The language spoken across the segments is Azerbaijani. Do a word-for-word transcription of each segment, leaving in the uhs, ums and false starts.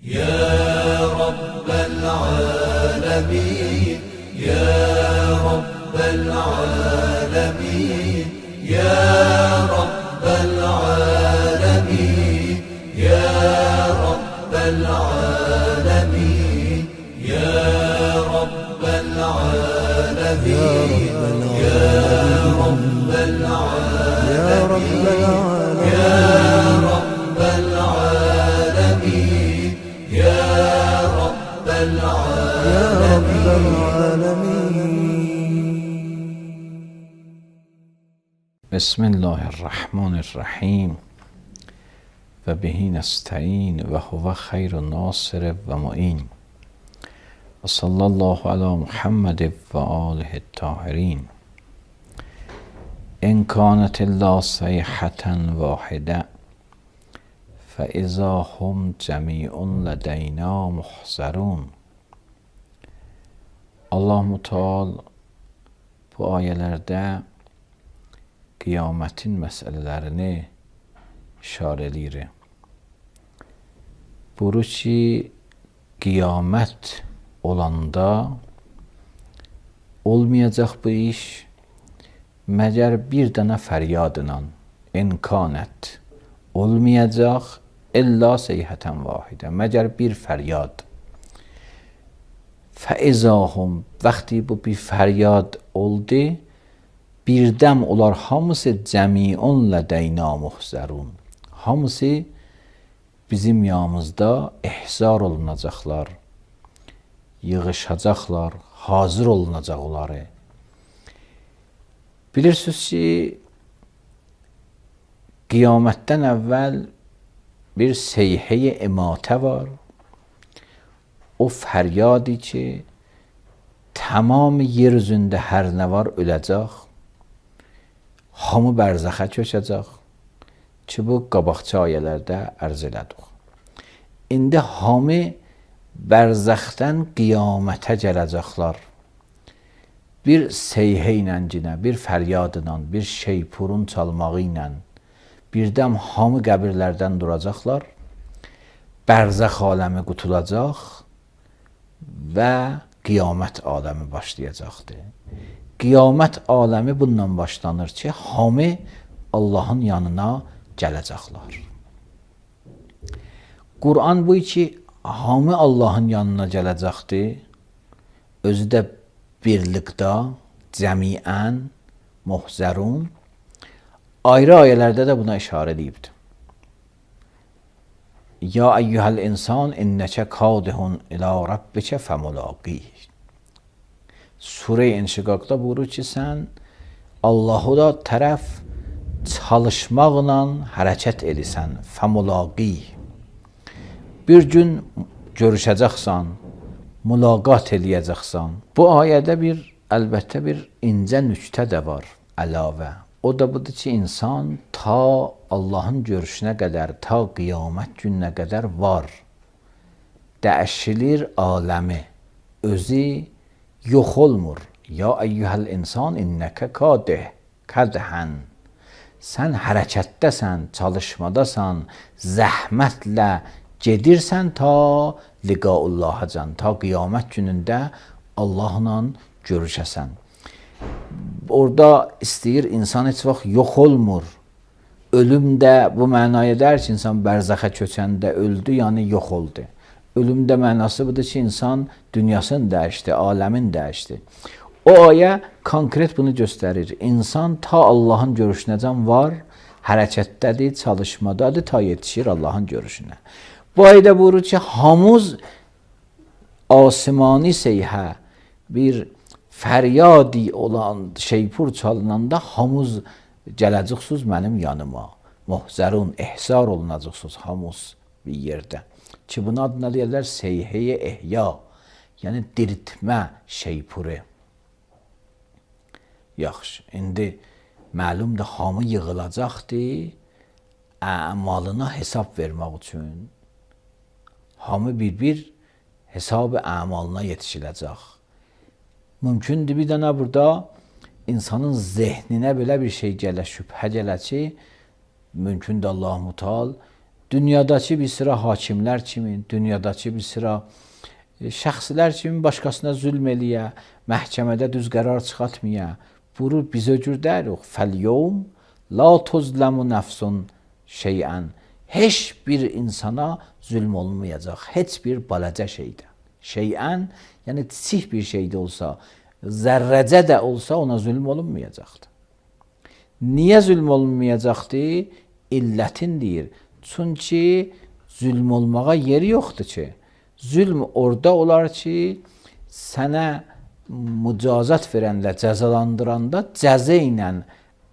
يا رب العالمين يا رب العالمين يا رب العالمين يا رب العالمين يا رب العالمين يا رب العالمين يا رب العالمين يا رب العالمين. بسم الله الرحمن الرحیم و بهی نستعین و هو خیر ناصر و معین و صلی الله علی محمد و آله الطاهرین. ان کانت الا صیحة واحده فاذا هم جمیع لدینا محضرون. Allah Müteal bu ayələrdə qiyamətin məsələlərini işarə edir. Buyurur ki, qiyamət olanda olmayacaq bu iş məgər bir dənə fəryadla, imkanət olmayacaq illa seyhətən vahidə, məgər bir fəryad. Fəizahum, vaxtı bu bir fəryad oldu, birdəm olar hamısı cəmiun lədəyna muhzərun. Hamısı bizim yanımızda ihzar olunacaqlar, yığışacaqlar, hazır olunacaq onları. Bilirsiniz ki, qiyamətdən əvvəl bir seyhə-i imatə var. O fəryadi ki, tamam yer üzündə hər nə var öləcək, hamı bərzəxə köçəcək ki, bu qabaqçı ayələrdə ərz elədik. İndi hamı bərzəxdən qiyamətə gələcəklər. Bir seyhə ilə cinə, bir fəryadla, bir şeypurun çalmağı ilə, birdəm hamı qəbirlərdən duracaqlar, bərzəx aləmi qutulacaq və qiyamət aləmi başlayacaqdır. Qiyamət aləmi bundan başlanır ki, hamı Allahın yanına gələcəklər. Quran bu ki, hamı Allahın yanına gələcəkdir, özü də birlikdə, cəmiən, muhzərun, ayrı ayələrdə də buna işarə edibdir. Ya eyyuhəl insan innəkə kadihun ilə rabbikə fəmulaqih. Surə-i İnşiqaqda buyurur ki, sən Allahı da tərəf çalışmaqla hərəkət edirsən, fəmulaqih. Bir gün görüşəcəksən, mülaqat eləyəcəksən. Bu ayədə bir, əlbəttə bir incə nüktə də var, əlavə. O da budur ki, insan ta Allahın görüşünə qədər, ta qiyamət gününə qədər var. Dəyişilir aləmi, özü yox olmur. Ya eyyuhəl insan innəkə kadih, kədhən. Sən hərəkətdəsən, çalışmadasan, zəhmətlə gedirsən ta liqaullahacan, ta qiyamət günündə Allahla görüşəsən. Orada istəyir, insan heç vaxt yox olmur. Ölüm də bu mənaya der ki, insan bərzəxə köçəndə öldü, yəni yox oldu. Ölüm də mənası budur ki, insan dünyasını dəyişdi, aləmin dəyişdi. O ayə konkret bunu göstərir. İnsan ta Allahın görüşünəcən var, hərəkətdədir, çalışmadadır, ta yetişir Allahın görüşünə. Bu ayədə buyurur ki, hamuz asimani seyhə, bir fəryadi olan şeypur çalınanda hamuz gələcəksiniz mənim yanıma. Muhzərun, ihzar olunacaqsınız hamuz bir yerdə. Ki, buna adına deyirlər seyhə-i ehya, yəni diriltmə şeypuru. Yaxşı, indi məlumdur, hamı yığılacaqdır, əmalına hesab vermək üçün. Hamı bir-bir hesab-ı əmalına yetişiləcək. Mümkündür bir dənə burada insanın zehninə belə bir şey gələ, şübhə gələ ki, mümkündür Allah-u Teala dünyadakı bir sıra hakimlər kimi, dünyadakı bir sıra şəxslər kimi başqasına zülm eləyə, məhkəmədə düz qərar çıxartmaya, buyurur biz öcür dəyirik. Fəl-yevm la tuzlamu nəfsun şeyən. Heç bir insana zülm olmayacaq. Heç bir balaca şeydə. Şeyən, yəni kiçik bir şey də olsa, zərrəcə də olsa ona zülm olunmayacaqdır. Niyə zülm olunmayacaqdı? İllətin deyir. Çünki zülm olmağa yeri yoxdur ki. Zülm orada olar ki, sənə mücazat verəndə, cəzalandıranda cəza ilə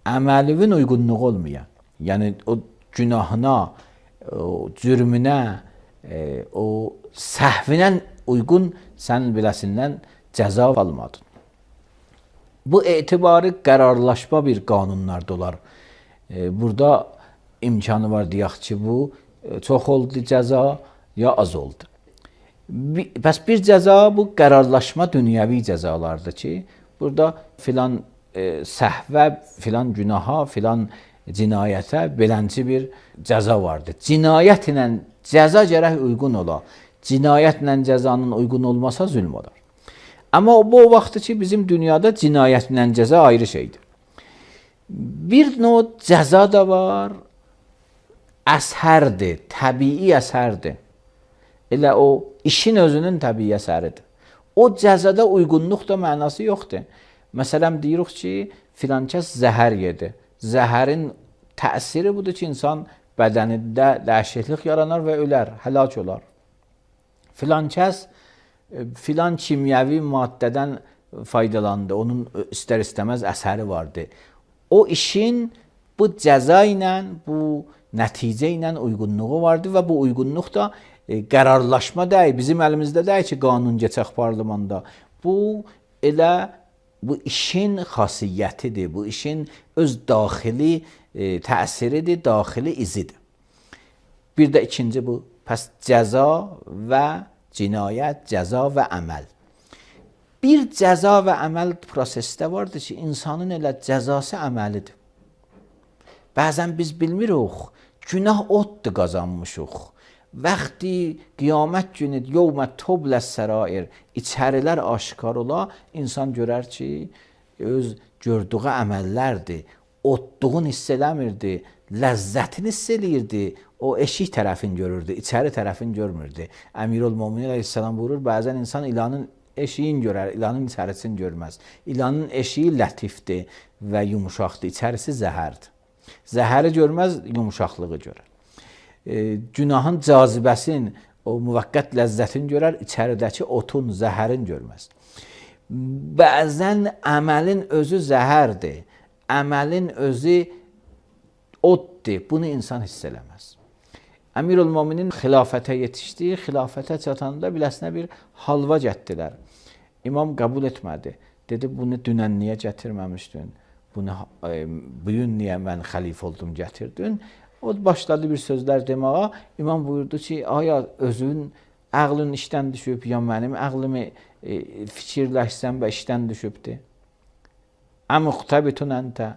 əməlivin uyğunluğu olmaya. Yəni o günahına, o cürmünə, o səhvinə uyğun sən biləsindən cəza almadın. Bu etibarı qərarlaşma bir qanunlarda olar. Burada imkanı var deyək ki, bu çox oldu cəza ya az oldu. Bəs bir cəza bu qərarlaşma dünyəvi cəzalardır ki, burada filan e, səhvə, filan günaha, filan cinayətə belənci bir cəza vardır. Cinayət ilə cəza gərək uyğun ola. Cinayətlə cəzanın uyğun olmasa zülm olar. Amma bu o vaxtdır ki, bizim dünyada cinayətlə cəza ayrı şeydir. Bir növ cəza da var, əsərdir, təbii əsərdir. Elə o işin özünün təbii əsəridir. O cəzada uyğunluq da mənası yoxdur. Məsələn, deyirik ki, filan kəs zəhər yedi. Zəhərin təsiri budur ki, insan bədənində dəyişiklik yaranar və ölər, həlak olar. Filan kəs filan kimyəvi maddədən faydalandı, onun istər-istəməz əsəri vardı. O işin bu cəza ilə, bu nəticə ilə uyğunluğu vardı və bu uyğunluq da E, qərarlaşma deyil, bizim əlimizdə deyil ki, qanun geçək parlamentda. Bu elə bu işin xasiyyətidir, bu işin öz daxili e, təsiridir, daxili izidir. Bir də ikinci bu, pəs cəza və cinayət, cəza və əməl. Bir cəza və əməl prosesdə vardır ki, insanın elə cəzası əməlidir. Bəzən biz bilmirik, günah oddur qazanmışıq. Vaxti qiyamət günü yevmə tubləs sərair, içərilər aşkar ola, insan görər ki, öz gördüyü əməllərdir, odduğunu hiss eləmirdi, ləzzətini hiss eləyirdi, o eşik tərəfini görürdü, içəri tərəfini görmürdü. Əmirül-Möminin əleyhissalam buyurur, bəzən insan ilanın eşiyin görər, ilanın içərisini görməz. İlanın eşiyi lətifdir və yumuşaqdır, içərisi zəhərdir. Zəhəri görməz, yumuşaqlığı görər. E, günahın cazibəsin, o müvəqqət ləzzətini görər, içəridəki otun, zəhərin görməz. Bəzən əməlin özü zəhərdir, əməlin özü oddur, bunu insan hiss eləməz. Əmirül-Möminin xilafətə yetişdi, xilafətə çatanda biləsinə bir halva gətdilər. İmam qəbul etmədi, dedi, bunu dünən niyə gətirməmişdin, bunu e, bugün niyə mən xəlifə oldum gətirdin? O başladı bir sözlər deməyə. İmam buyurdu ki, aya özün ağlın işdən düşüb, ya mənim ağlımı e, fikirləşsən və işdən düşübdür. Əmuqtabitun əntə.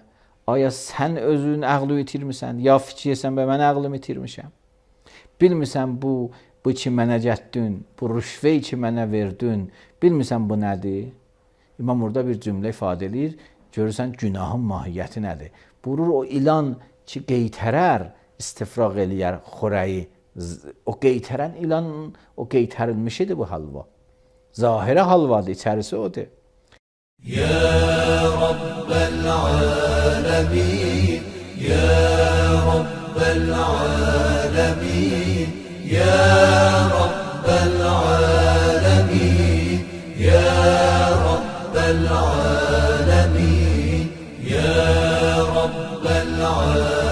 Aya sən özün ağlı itirmisən, ya fikirsən və mən ağlımı itirmişəm. Bilmirsən bu, bu ki mənə gətdin, bu rüşvəyi ki mənə verdin, bilmirsən bu nədir? İmam orada bir cümlə ifadə edir, görürsən günahın mahiyyəti nədir? Buyurur o ilan ki qeytərər, istifraq eləyər xorəyi. O qeytərən ilanın, o qeytərilmişidir bu halva. Zahirə halvadır, içərisi odur. Ya Rabbel alemin, Ya Rabbel alemin, Ya Rabbel alemin, Ya Rabbel alemin, Ya Rabbel alemin.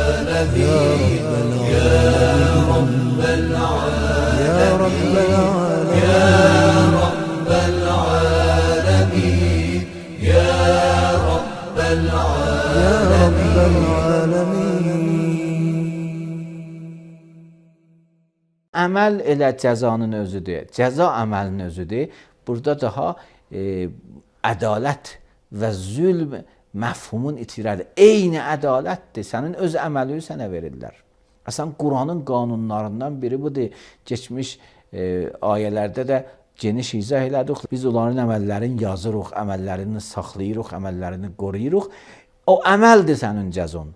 Əməl elə cəzanın özüdür, cəza əməlin özüdür. Burada daha e, ədalət və zülm məfhumun itirədir. Eyni ədalətdir, sənin öz əməlini sənə verirlər. Əslən Quranın qanunlarından biri budur. Keçmiş e, ayələrdə də geniş izah elədik. Biz onların əməllərini yazırıq, əməllərini saxlayırıq, əməllərini qoruyuruq. O əməldir sənin cəzon.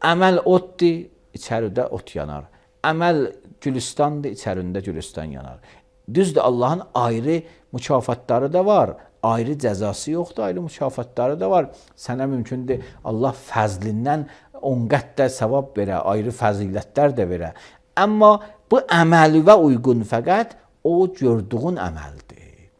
Əməl otdur, içəridə ot yanar. Əməl gülüstandır, içərində gülüstan yanar. Düzdür, Allahın ayrı mükafatları da var. Ayrı cəzası yoxdur, ayrı mükafatları da var. Sənə mümkündür Allah fəzlindən on qət də savab verə, ayrı fəzilətlər də verə. Amma bu əməli və uyğun fəqət o gördüğün əməldir.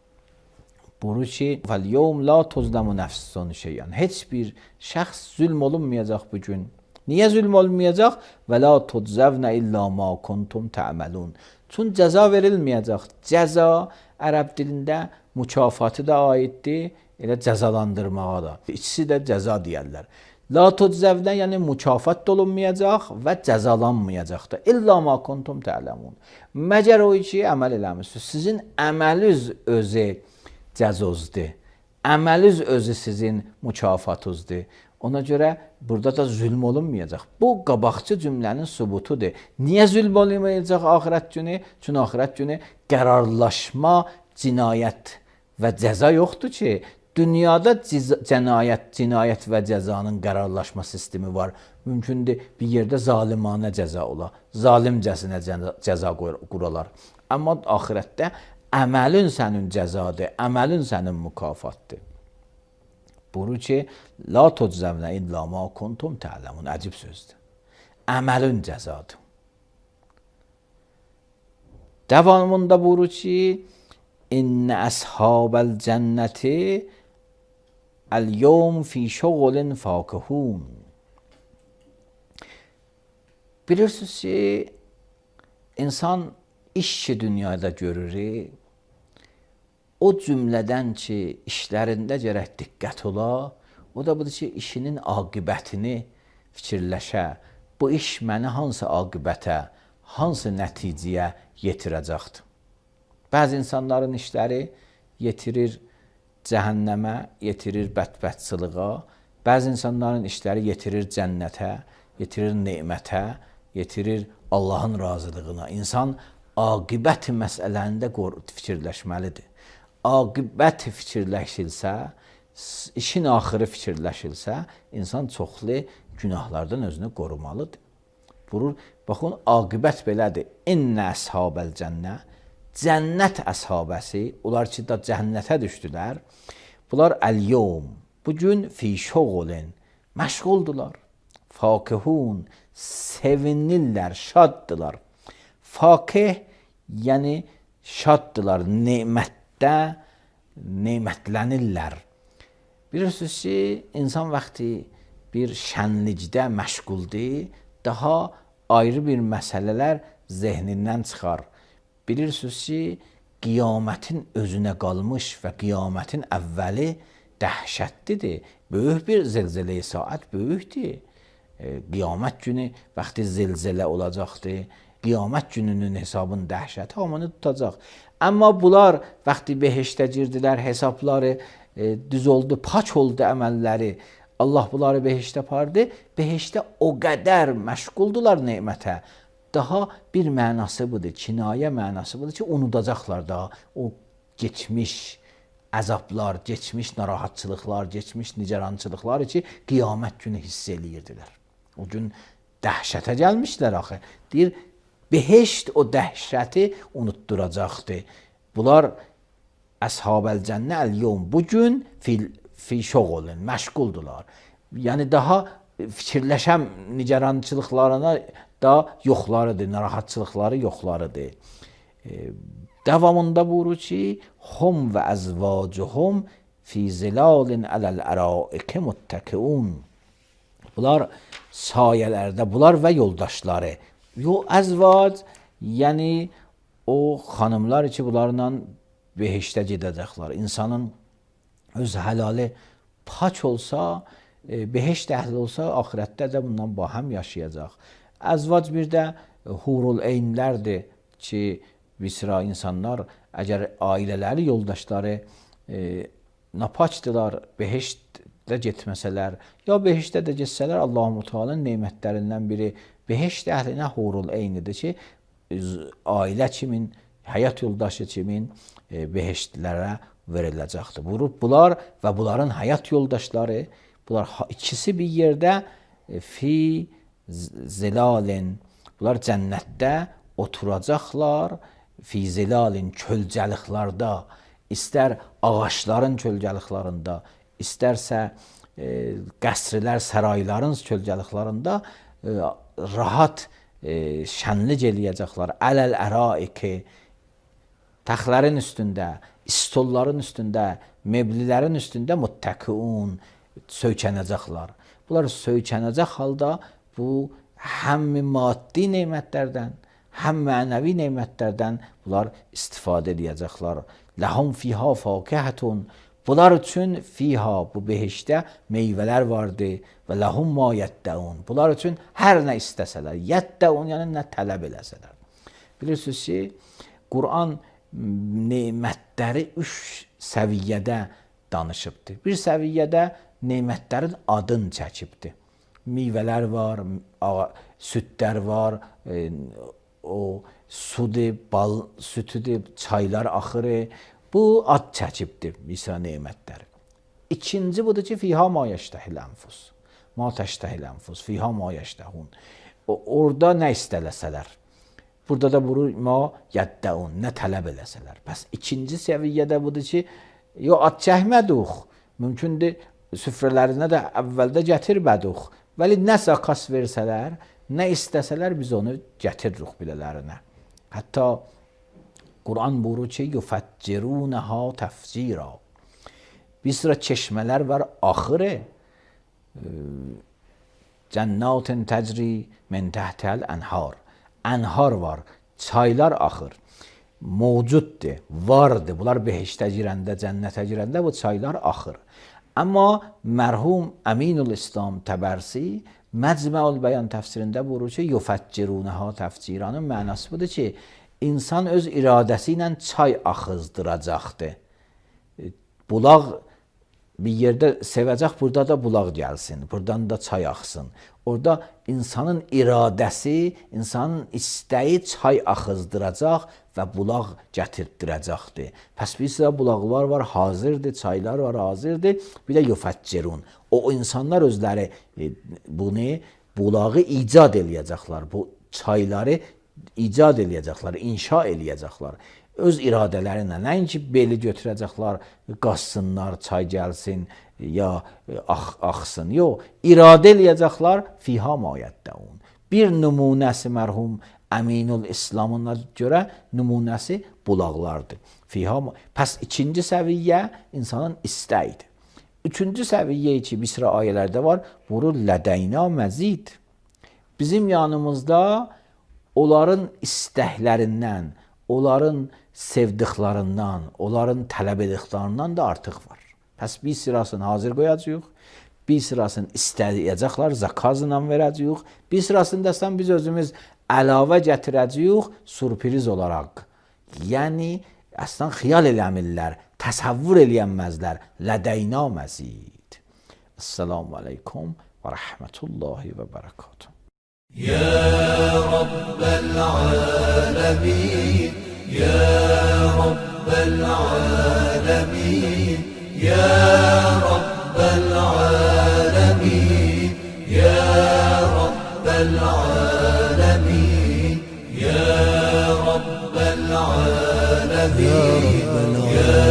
Buyurur ki, "Vel-yevm la tuzlamu nefsun şey'an." Heç bir şəxs zülm olunmayacaq bu gün. Niyə zülm olmayacaq? "Və la tuczavna illa ma kuntum ta'malun." Çün cəza verilməyəcək. Cəza ərəb dilində mükafatı da aiddir, elə cəzalandırmağa da. İkisi də cəza deyərlər. La tuczavna yəni mükafat da olunmayacaq və cəzalanmayacaq da. İlla ma kuntum ta'lamun. Məgər o ki əməl eləmisiniz. Sizin əməliz özü cəzozdur. Əməliz özü sizin mükafatınızdır. Ona görə burada da zülm olunmayacaq. Bu qabaqçı cümlənin sübutudur. Niyə zülm olunmayacaq axirət günü? Çünki axirət günü qərarlaşma, cinayət və cəza yoxdur ki, dünyada cinayət, cinayət və cəzanın qərarlaşma sistemi var. Mümkündür bir yerdə zalimanə cəza ola, zalimcəsinə cəza quralar. Amma axirətdə əməlin sənin cəzadır, əməlin sənin mükafatdır. Buyurur ki, la tuczavna illa ma kuntum ta'lamun. Əcib sözdür. Əməlin cəzadır. Davamında buyurur ki, İnne əshabəl cənnəti əl-yevm fi şoğulin fakihun. Bilirsiniz ki, insan iş ki dünyada görür, o cümlədən ki, işlərində gərək diqqət ola, o da budur ki, işinin aqibətini fikirləşə. Bu iş məni hansı aqibətə, hansı nəticəyə yetirəcəkdir? Bəzi insanların işləri yetirir cəhənnəmə, yetirir bədbədsılığa. Bəzi insanların işləri yetirir cənnətə, yetirir nemətə, yetirir Allahın razılığına. İnsan aqibət məsələndə fikirləşməlidir. Aqibət fikirləşilsə, işin axırı fikirləşilsə, insan çoxlu günahlardan özünü qorumalıdır. Buyurur, baxın, aqibət belədir. İnnə əshabəl cənnə, cənnət əshabəsi, onlar ki, da cənnətə düşdülər. Bunlar əl-yevm, bugün fi şoğulin, məşğuldular. Fakihun, sevinirlər, şaddılar. Fakih, yəni şaddılar, nemətdə nemətlənirlər. Bilirsiniz ki, insan vaxtı bir şənlikdə məşğuldur, daha ayrı bir məsələlər zehnindən çıxar. Bilirsiniz ki, qiyamətin özünə qalmış və qiyamətin əvvəli dəhşətlidir. Böyük bir zilzilə-i saat böyükdür. E, qiyamət günü vaxtı zilzilə olacaqdır. Qiyamət gününün hesabın dəhşəti hamını tutacaq. Amma bunlar vaxtı behiştə girdilər, hesabları e, düz oldu, paç oldu əməlləri. Allah bunları behiştə apardı. Behiştə o qədər məşğuldular nemətə. Daha bir mənası budur, kinayə mənası budur ki, unudacaqlar da o geçmiş əzablar, geçmiş narahatçılıqlar, geçmiş nicarançılıqlar ki, qiyamət günü hiss eləyirdilər. O gün dəhşətə gəlmişlər axı. Deyir, behişt o dəhşəti unutturacaqdır. Bunlar əshabəl cənnə əl-yevm, bugün fil, fi şoğulun, məşğuldular. Yəni daha fikirləşən nicarançılıqlarına da yoxlarıdır, narahatçılıqları yoxlarıdır. E, davamında buyurur ki, hum və əzvacuhum fi zilalin ələl-əraikə muttəkiun. Bunlar sayələrdə, bunlar və yoldaşları. Yo, əzvac, yəni o xanımlar ki, bunlarla behiştə gedəcəklər. İnsanın öz həlali paç olsa, e, behişt əhli olsa, axirətdə də bundan bahəm yaşayacaq. Əzvac bir də hurul eynlərdir ki, bir sıra insanlar, əgər ailələri, yoldaşları e, napaçdılar, behiştdə getməsələr, ya behiştdə də getsələr, Allah-u Teala'nın nemətlərindən biri Behişt əhlinə hurul eynidir ki, ailə kimin, həyat yoldaşı kimin e, behiştlərə veriləcəkdir. Bunlar və bunların həyat yoldaşları, bunlar ikisi bir yerdə e, fi zilalin, bunlar cənnətdə oturacaqlar, fi zilalin kölgəliklərdə, istər ağaçların kölgəliklərində, istərsə e, qəsrlər, sarayların kölgəliklərində e, rahat e, şənlik eləyəcəklər. Ələl əraiki, təxtlərin üstündə, stolların üstündə, meblilərin üstündə muttəkiun, söykənəcəklər. Bunlar söykənəcək halda bu həm maddi nemətlərdən, həm mənəvi nemətlərdən bunlar istifadə edəcəklər. Ləhum fiha fakəhətun, bunlar üçün fiha, bu behişdə meyvələr vardır və ləhum ma yəddəun, bunlar üçün hər nə istəsələr, yəddəun yəni nə tələb eləsələr. Bilirsiniz ki, Quran nemətləri üç səviyyədə danışıbdır. Bir səviyyədə nemətlərin adını çəkibdir. Meyvələr var, südlər var, e, o sudur, bal sütüdür, çaylar axırı. Bu ad çəkibdir misal nemətləri. İkinci budur ki, fiha ma yeştəhil ənfus. Ma təştəhil ənfus, fiha ma yeştəhun. Orada nə istələsələr. Burada da bunu ma yəddəun, nə tələb eləsələr. Bəs ikinci səviyyədə budur ki, yo ad çəkmədik. Mümkündür, süfrələrinə də əvvəldə gətirmədik. Vəli nəsə qas versələr, nə istəsələr biz onu gətiririk bilələrinə. Hətta Quran buyurur ki, yufəccirunəha təfcira. Bir sıra çeşmələr var, axırı cənnatin təcri min təhtəl ənhar. Ənhar var, çaylar axır. Mövcuddur, vardır. Bunlar behiştə girəndə, cənnətə girəndə bu çaylar axır. Amma mərhum Əminul İslam Təbərsi Məcməul Bəyan təfsirində buyurur ki, yufəccirunəha təfciranın mənası budur ki, insan öz iradəsi ilə çay axızdıracaqdır. Bulaq bir yerdə sevəcək, burada da bulaq gəlsin, buradan da çay axsın. Orada insanın iradəsi, insanın istəyi çay axızdıracaq və bulaq gətirdirəcəkdir. Pəs bir sıra bulaqlar var, hazırdır, çaylar var, hazırdır. Bir də yufəccirun. O insanlar özləri bunu, bulağı icad eləyəcəklər. Bu çayları icad eləyəcəklər, inşa eləyəcəklər. Öz iradələrinə, nəinki beli götürəcəklər, qassınlar, çay gəlsin, ya ax, axsın. Yox, iradə eləyəcəklər, fiha ma yəddəun. Bir nümunəsi mərhum Əminul İslamına görə nümunəsi bulaqlardır. Fiha ma... Pəs ikinci səviyyə insanın istəyidir. Üçüncü səviyyə ki, bir sıra ayələrdə var, buyurur, lədəyna məzid. Bizim yanımızda onların istəklərindən, onların sevdiklərindən, onların tələb ediklərindən də artıq var. Pəs bir sırasını hazır qoyacaq, bir sırasını istəyəcəklər, zakazla verəcəyik, bir sırasını da biz özümüz əlavə gətirəcəyik, sürpriz olaraq. Yəni, əslən xiyal eləmirlər, təsəvvür eləyənməzlər, lədəyna məzid. Esselamu aleykum və rəhmətullahi və bərəkatuhu. يا رب العالمين يا رب العالمين يا رب العالمين يا رب العالمين يا رب العالمين يا